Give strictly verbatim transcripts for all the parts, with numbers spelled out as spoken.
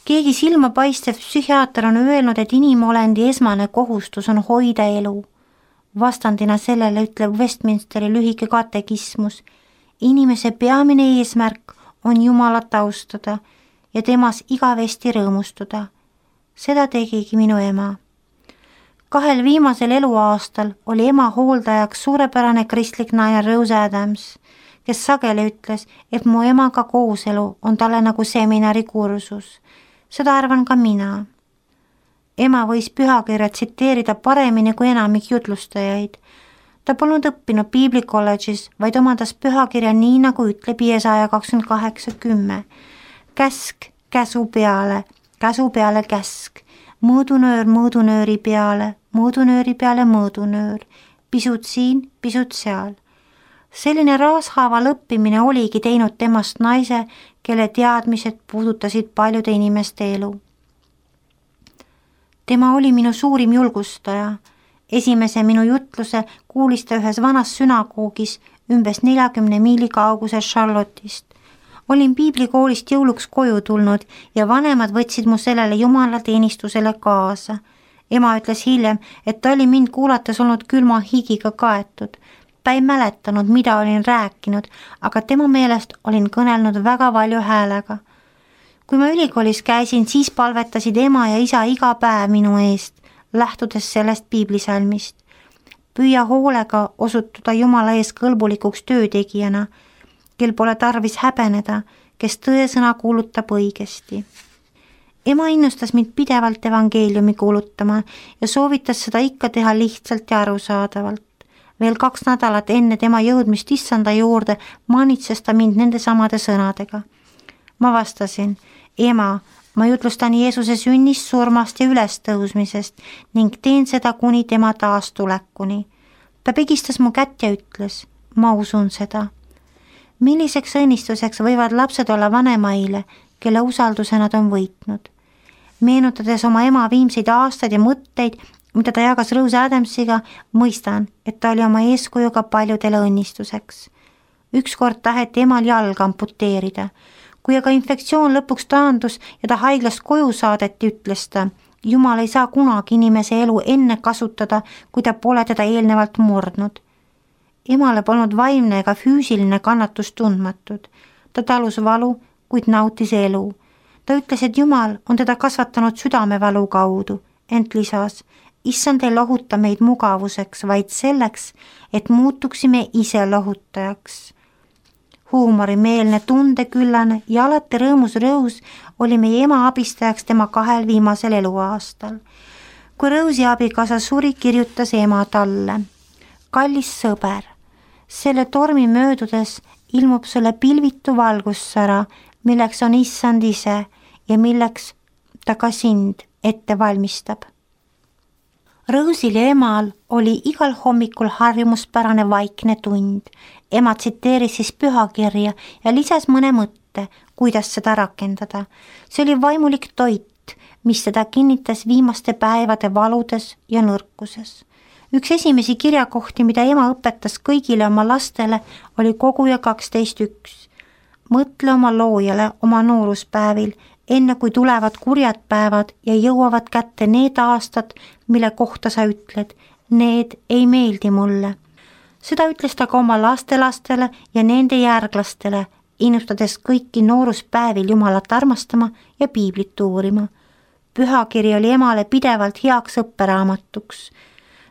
keegi silmapaistev psühhiaater on öelnud, et inimolendi esmane kohustus on hoida elu. Vastandina sellele ütleb Westminsteri lühike katekismus. Inimese peamine eesmärk on Jumalat austada ja temas igavesti rõõmustuda. Seda tegigi minu ema. Kahel viimasel eluaastal oli ema hooldajaks suurepärane kristlik naine Rose Adams, kes sageli ütles, et mu emaga kooselu on talle nagu seminari kursus. Seda arvan ka mina. Ema võis pühakirja tsiteerida paremini kui enamik jutlustajaid. Ta polnud õppinud piiblikolledžis, vaid omandas pühakirja nii, nagu ütleb Jesaja kakskümmend kaheksa kümme. Käsk käsu peale, käsu peale käsk, mõõdunöör mõõdunööri peale, mõõdunööri peale mõõdunöör, pisut siin, pisut seal. Selline raashaaval õppimine oligi teinud temast naise, kelle teadmised puudutasid paljude inimeste elu. Tema oli minu suurim julgustaja. Esimese minu jutluse kuulis ta ühes vanas sünagoogis umbes neljakümne miili kauguses Charlotte'ist. Olin piiblikoolist jõuluks koju tulnud ja vanemad võtsid mu sellele jumalateenistusele kaasa. Ema ütles hiljem, et ta oli mind kuulates olnud külma higiga kaetud. Ta ei mäletanud, mida olin rääkinud, aga tema meelest olin kõnelnud väga valju häälega. Kui ma ülikoolis käisin, siis palvetasid ema ja isa iga päev minu eest, lähtudes sellest piiblisalmist. Püüa hoolega osutuda Jumala ees kõlbulikuks töötegijana, kel pole tarvis häbeneda, kes tõesõna kuulutab õigesti. Ema innustas mind pidevalt evangeeliumi kuulutama ja soovitas seda ikka teha lihtsalt ja arusaadavalt. Veel kaks nädalat enne tema jõudmist issanda juurde manitses ta mind nende samade sõnadega. Ma vastasin, ema, ma jutlustan Jeesuse sünnist, surmast ja ülestõusmisest ning teen seda kuni tema taastulekuni. Ta pigistas mu kätt ja ütles, ma usun seda. Milliseks õnnistuseks võivad lapsed olla vanemaile, kelle usalduse nad on võitnud? Meenutades oma ema viimseid aastaid ja mõtteid, mida ta jagas Rose Adamsiga, mõistan, et ta oli oma eeskujuga paljudele õnnistuseks. Ükskord taheti emal jalga amputeerida. Kui aga infektsioon lõpuks taandus ja ta haiglast koju saadeti, ütles ta, Jumal ei saa kunagi inimese elu enne kasutada, kui ta pole teda eelnevalt murdnud. Emale polnud vaimne ega füüsiline kannatus tundmatud. Ta talus valu, kuid nautis elu. Ta ütles, et Jumal on teda kasvatanud südamevalu kaudu, ent lisas, issand ei lohuta meid mugavuseks, vaid selleks, et muutuksime ise lohutajaks. Huumorimeelne, tundeküllane ja alati rõõmus Rose oli meie ema abistajaks tema kahel viimasel eluaastal. Kui Rose'i abikaasa suri, kirjutas ema talle. Kallis sõber, selle tormi möödudes ilmub sulle pilvitu valgussära, milleks on issand ise ja milleks ta ka sind ette valmistab. Rose'il ja emal oli igal hommikul harjumuspärane vaikne tund. Ema tsiteeris siis pühakirja ja lisas mõne mõtte, kuidas seda rakendada. See oli vaimulik toit, mis teda kinnitas viimaste päevade valudes ja nõrkuses. Üks esimesi kirjakohti, mida ema õpetas kõigile oma lastele, oli koguja kaksteist üks. Mõtle oma loojale oma nooruspäevil, enne kui tulevad kurjad päevad ja jõuavad kätte need aastad, mille kohta sa ütled, need ei meeldi mulle. Seda ütles ta ka oma lastelastele ja nende järglastele, innustades kõiki nooruspäevil Jumalat armastama ja piiblit uurima. Pühakiri oli emale pidevalt heaks õpperaamatuks.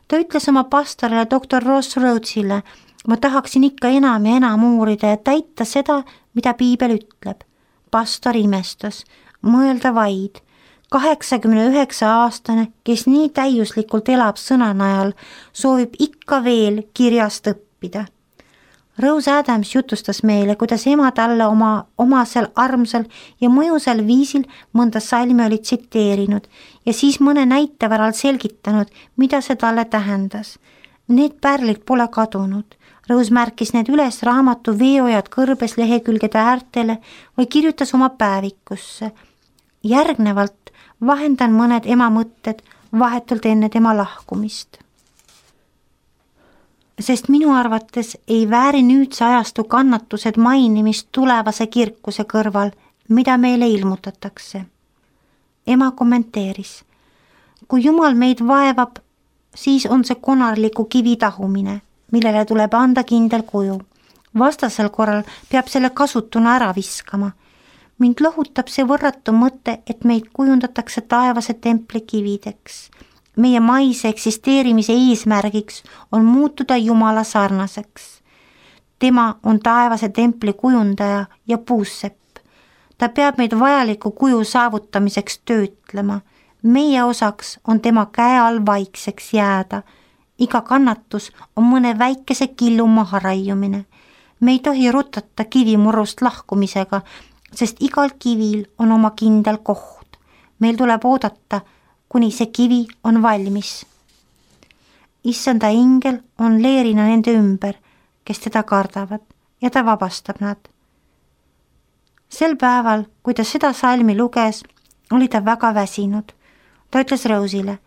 Ta ütles oma pastorile doktor Ross Rhodesile, ma tahaksin ikka enam ja enam uurida ja täita seda, mida piibel ütleb. Pastor imestas, mõelda vaid. kaheksakümne üheksa aastane, kes nii täiuslikult elab sõna najal, soovib ikka veel kirjast õppida. Rose Adams jutustas meile, kuidas ema talle oma omasel armsal ja mõjusal viisil mõnda salmi oli tsiteerinud ja siis mõne näite varal selgitanud, mida see talle tähendas. Need pärlid pole kadunud. Rose märkis need üles raamatu veeojad kõrbes lehekülgede äärtele või kirjutas oma päevikusse. Järgnevalt vahendan mõned ema mõtted vahetult enne tema lahkumist. Sest minu arvates ei vääri nüüdse ajastu kannatused mainimist tulevase kirkuse kõrval, mida meile ilmutatakse. ema kommenteeris. Kui Jumal meid vaevab, siis on see konarliku kivi tahumine, millele tuleb anda kindel kuju. Vastasel korral peab selle kasutuna ära viskama. Mind lohutab see võrratu mõte, et meid kujundatakse taevase templi kivideks. Meie maise eksisteerimise eesmärgiks on muutuda Jumala sarnaseks. Tema on taevase templi kujundaja ja puussepp. Ta peab meid vajaliku kuju saavutamiseks töötlema. Meie osaks on tema käe all vaikseks jääda. Iga kannatus on mõne väikese killu maha raiumine. Me ei tohi rutata kivimurrust lahkumisega, sest igal kivil on oma kindel koht. Meil tuleb oodata, kuni see kivi on valmis. Issanda ingel on leerina nende ümber, kes teda kardavad, ja ta vabastab nad. Sel päeval, kui ta seda salmi luges, oli ta väga väsinud. Ta ütles Rose'ile,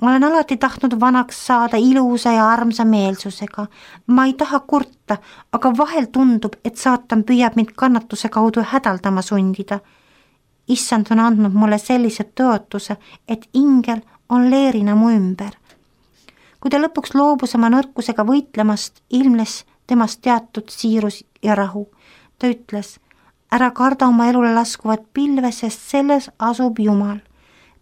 ma olen alati tahtnud vanaks saada ilusa ja armsa meelsusega. Ma ei taha kurta, aga vahel tundub, et saatan püüab mind kannatuse kaudu hädaldama sundida. Issand on andnud mulle sellise tõotuse, et ingel on leerina mu ümber. Kui ta lõpuks loobus oma nõrkusega võitlemast, ilmnes temast teatud siirus ja rahu. Ta ütles, ära karda oma elule laskuvat pilve, sest selles asub Jumal.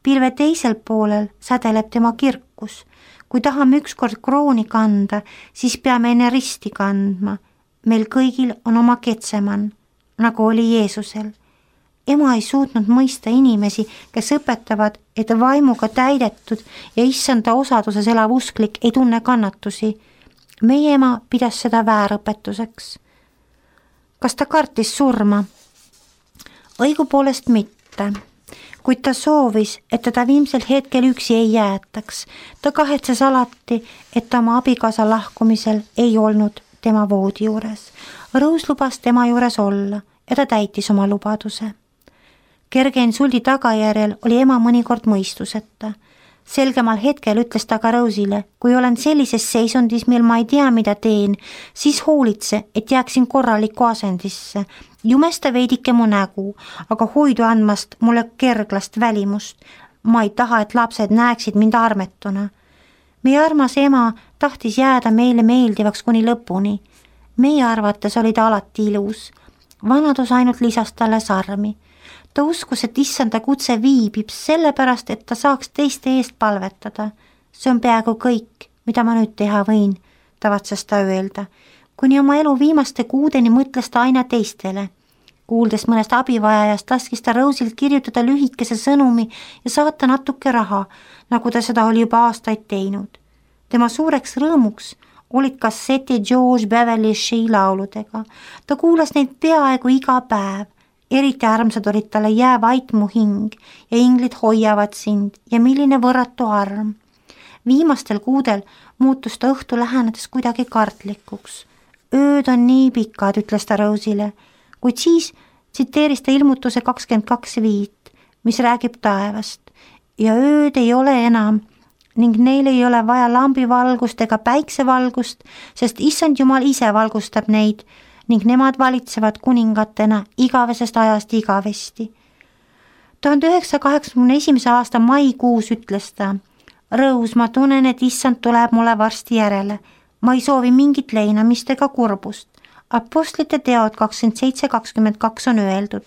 Pilve teisel poolel sädeleb tema kirkus. Kui tahame ükskord krooni kanda, siis peame enne risti kandma. Meil kõigil on oma Getseman, nagu oli Jeesusel. Ema ei suutnud mõista inimesi, kes õpetavad, et vaimuga täidetud ja issanda osaduses elav usklik ei tunne kannatusi. Meie ema pidas seda väärõpetuseks. Kas ta kartis surma? Õigupoolest mitte. Kuid ta soovis, et teda viimsel hetkel üksi ei jäetaks. Ta kahetses alati, et ta oma abikaasa lahkumisel ei olnud tema voodi juures. Rose lubas tema juures olla ja ta täitis oma lubaduse. Kerge insuldi tagajärjel oli ema mõnikord mõistuseta. Selgemal hetkel ütles ta ka Rose'ile, kui olen sellises seisundis, mil ma ei tea, mida teen, siis hoolitse, et jääksin korralikku asendisse. Jumesta veidike mu nägu, aga hoidu andmast mulle kerglast välimust. Ma ei taha, et lapsed näeksid mind armetuna. Meie armas ema tahtis jääda meile meeldivaks kuni lõpuni. Meie arvates oli ta alati ilus. Vanadus ainult lisas talle sarmi. Ta uskus, et issanda kutse viibib sellepärast, et ta saaks teiste eest palvetada. See on peaaegu kõik, mida ma nüüd teha võin, tavatses ta öelda. Kuni oma elu viimaste kuudeni mõtles ta aina teistele. Kuuldes mõnest abivajajast, laskis ta Rose'ilt kirjutada lühikese sõnumi ja saata natuke raha, nagu ta seda oli juba aastaid teinud. Tema suureks rõõmuks olid kasseti George Beverly Shea lauludega. Ta kuulas neid peaaegu iga päev. Eriti armsad olid talle jää vait mu hing ja inglid hoiavad sind ja milline võrratu arm. Viimastel kuudel muutus ta õhtu lähenedes kuidagi kartlikuks. Ööd on nii pikad, ütles ta Rose'ile, kuid siis tsiteeris ta ilmutuse kakskümmend kaks viit, mis räägib taevast. Ja ööd ei ole enam ning neil ei ole vaja lambivalgust ega päiksevalgust, sest issand Jumal ise valgustab neid ning nemad valitsevad kuningatena igavesest ajast igavesti. tuhande üheksasaja kaheksakümne esimese aasta maikuus ütles ta, Rose, ma tunnen, et issand tuleb mulle varsti järele. Ma ei soovi mingit leinamist ega kurbust. Apostlite teod kakskümmend seitse kakskümmend kaks on öeldud.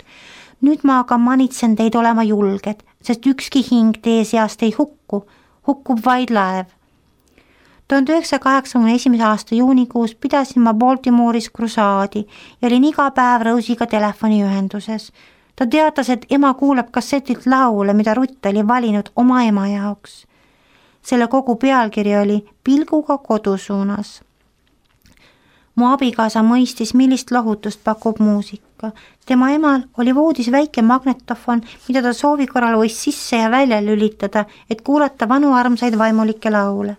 Nüüd ma aga manitsen teid olema julged, sest ükski hing teie seast ei hukku, hukkub vaid laev. tuhande üheksasaja kaheksakümne esimese aasta juunikuus pidasin ma Baltimore'is krusaadi ja olin iga päev Rose'iga telefoniühenduses. Ta teatas, et ema kuulab kassetilt laule, mida Rutt oli valinud oma ema jaoks. Selle kogu pealkiri oli Pilguga kodu suunas. Mu abikaasa mõistis, millist lohutust pakub muusika. Tema emal oli voodis väike magnetofon, mida ta soovi korral võis sisse ja välja lülitada, et kuulata vanu armsaid vaimulikke laule.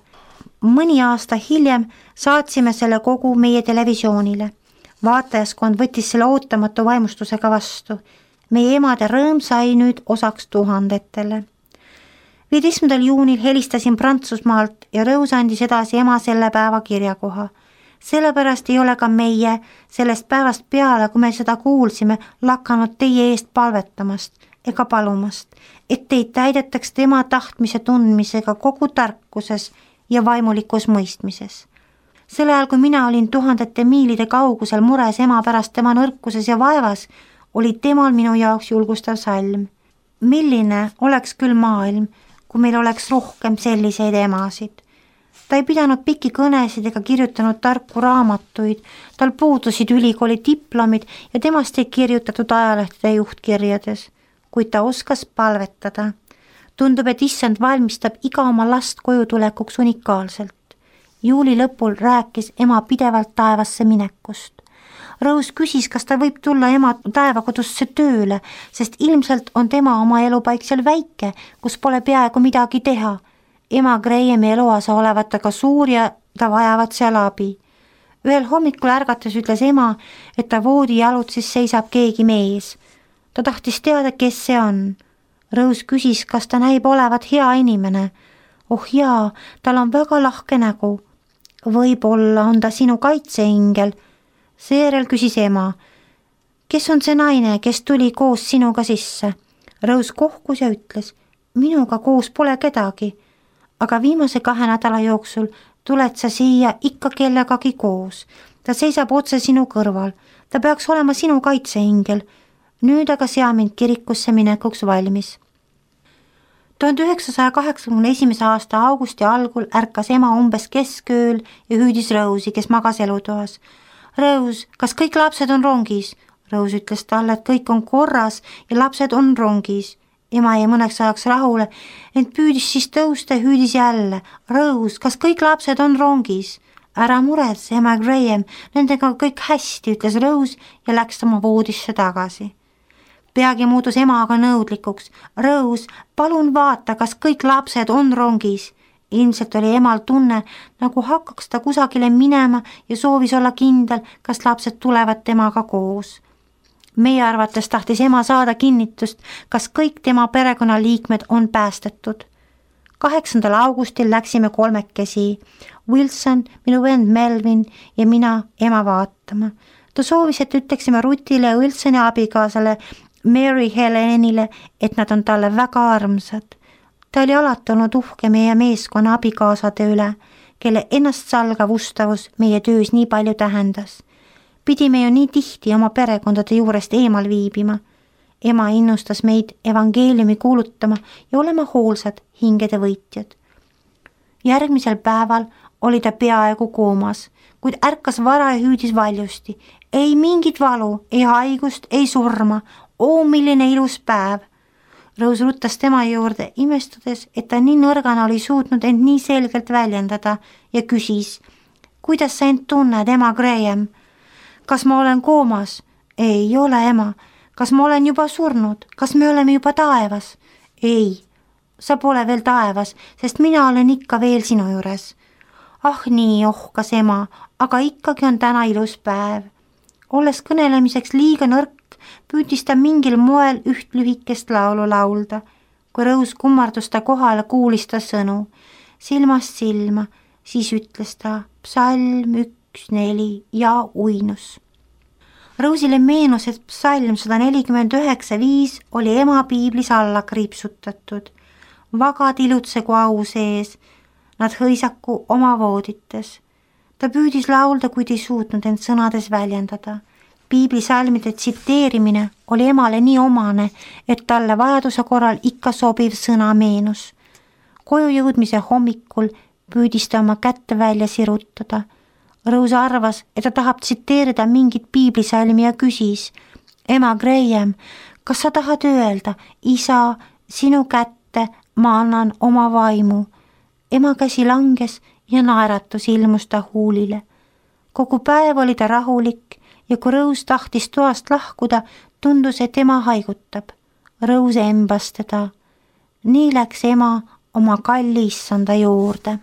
Mõni aasta hiljem saatsime selle kogu meie televisioonile. Vaatajaskond võttis selle ootamatu vaimustusega vastu. Meie emade rõõm sai nüüd osaks tuhandetele. viieteistkümnendal juunil helistasin Prantsusmaalt ja Rose andis edasi ema selle päeva kirjakoha. Sellepärast ei ole ka meie sellest päevast peale, kui me seda kuulsime, lakanud teie eest palvetamast. ega palumast, et teid täidetaks tema tahtmise tundmisega kogu tarkuses ja vaimulikus mõistmises. Sel ajal, kui mina olin tuhandete miilide kaugusel mures ema pärast tema nõrkuses ja vaevas, oli temal minu jaoks julgustav salm. Milline oleks küll maailm, kui meil oleks rohkem selliseid emasid. Ta ei pidanud pikki kõnesid ega kirjutanud tarku raamatuid, tal puudusid ülikooli diplomid ja temast ei kirjutatud ajalehtede juhtkirjades, kuid ta oskas palvetada. Tundub, et issand valmistab iga oma last koju tulekuks unikaalselt. Juuli lõpul rääkis ema pidevalt taevasse minekust. Rose küsis, kas ta võib tulla ema taevakodusse tööle, sest ilmselt on tema oma elupaik seal väike, kus pole peaaegu midagi teha. Ema Grahami eluasa olevat aga suur ja ta vajavad seal abi. Ühel hommikul ärgates ütles ema, et ta voodi jalutsis seisab keegi mees. Ta tahtis teada, kes see on. Rose küsis, kas ta näib olevat hea inimene. Oh jaa, tal on väga lahke nägu. Võib-olla on ta sinu kaitseingel. Seejärel küsis ema, kes on see naine, kes tuli koos sinuga sisse? Rose kohkus ja ütles, minuga koos pole kedagi, aga viimase kahe nädala jooksul tuled sa siia ikka kellegagi koos. Ta seisab otse sinu kõrval, ta peaks olema sinu kaitseingel. Nüüd aga sea mind kirikusse minekuks valmis. tuhande üheksasaja kaheksakümne esimese aasta augusti algul ärkas ema umbes keskööl ja hüüdis Rose'i, kes magas elutoas. Rose, kas kõik lapsed on rongis? Rose ütles talle, et kõik on korras ja lapsed on rongis. Ema jäi mõneks ajaks rahule, ent püüdis siis tõusta ja hüüdis jälle. Rose, kas kõik lapsed on rongis? Ära muretse, ema Graham, nendega kõik hästi, ütles Rose ja läks oma voodisse tagasi. Peagi muutus ema aga nõudlikuks. Rose, palun vaata, kas kõik lapsed on rongis. Ilmselt oli emal tunne, nagu hakkaks ta kusagile minema ja soovis olla kindel, kas lapsed tulevad temaga koos. Meie arvates tahtis ema saada kinnitust, kas kõik tema perekonnaliikmed on päästetud. kaheksandal augustil läksime kolmekesi, Wilson, minu vend Melvin ja mina ema vaatama. Ta soovis, et ütleksime Rutile ja Wilsoni abikaasale Mary Helenile, et nad on talle väga armsad. Ta oli alati olnud uhke meie meeskonna abikaasade üle, kelle ennastsalgav ustavus meie töös nii palju tähendas. Pidime ju nii tihti oma perekondade juurest eemal viibima. Ema innustas meid evangeeliumi kuulutama ja olema hoolsad hingede võitjad. Järgmisel päeval oli ta peaaegu koomas, kuid ärkas vara ja hüüdis valjusti. Ei mingit valu, ei haigust, ei surma. Oo, milline ilus päev! Rose ruttas tema juurde, imestades, et ta nii nõrgana oli suutnud end nii selgelt väljendada ja küsis, kuidas sa end tunned, ema Graham? Kas ma olen koomas? Ei ole, ema. Kas ma olen juba surnud? Kas me oleme juba taevas? Ei, sa pole veel taevas, sest mina olen ikka veel sinu juures. Ah nii, ohkas ema, aga ikkagi on täna ilus päev. Olles kõnelemiseks liiga nõrk, püüdis ta mingil moel üht lühikest laulu laulda. Kui Rose kummardus ta kohale, kuulis ta sõnu. Silmast silma, siis ütles ta psalm üks, neli ja uinus. Rose'ile meenus, et psalm sada nelikümmend üheksa viis oli ema piiblis alla kriipsutatud. Vagad ilutsegu au sees, nad hõisaku oma voodites. Ta püüdis laulda, kuid ei suutnud end sõnades väljendada. Piiblisalmide tsiteerimine oli emale nii omane, et talle vajaduse korral ikka sobiv sõna meenus. Koju jõudmise hommikul püüdis ta oma kätte välja sirutada. Rose arvas, et ta tahab tsiteerida mingit piiblisalmi ja küsis, ema Graham, kas sa tahad öelda, isa, sinu kätte ma annan oma vaimu. Ema käsi langes ja naeratus ilmus ta huulile. Kogu päev oli ta rahulik ja kui Rose tahtis toast lahkuda, tundus, et ema haigutab. Rose embas teda. Nii läks ema oma kalli issanda juurde.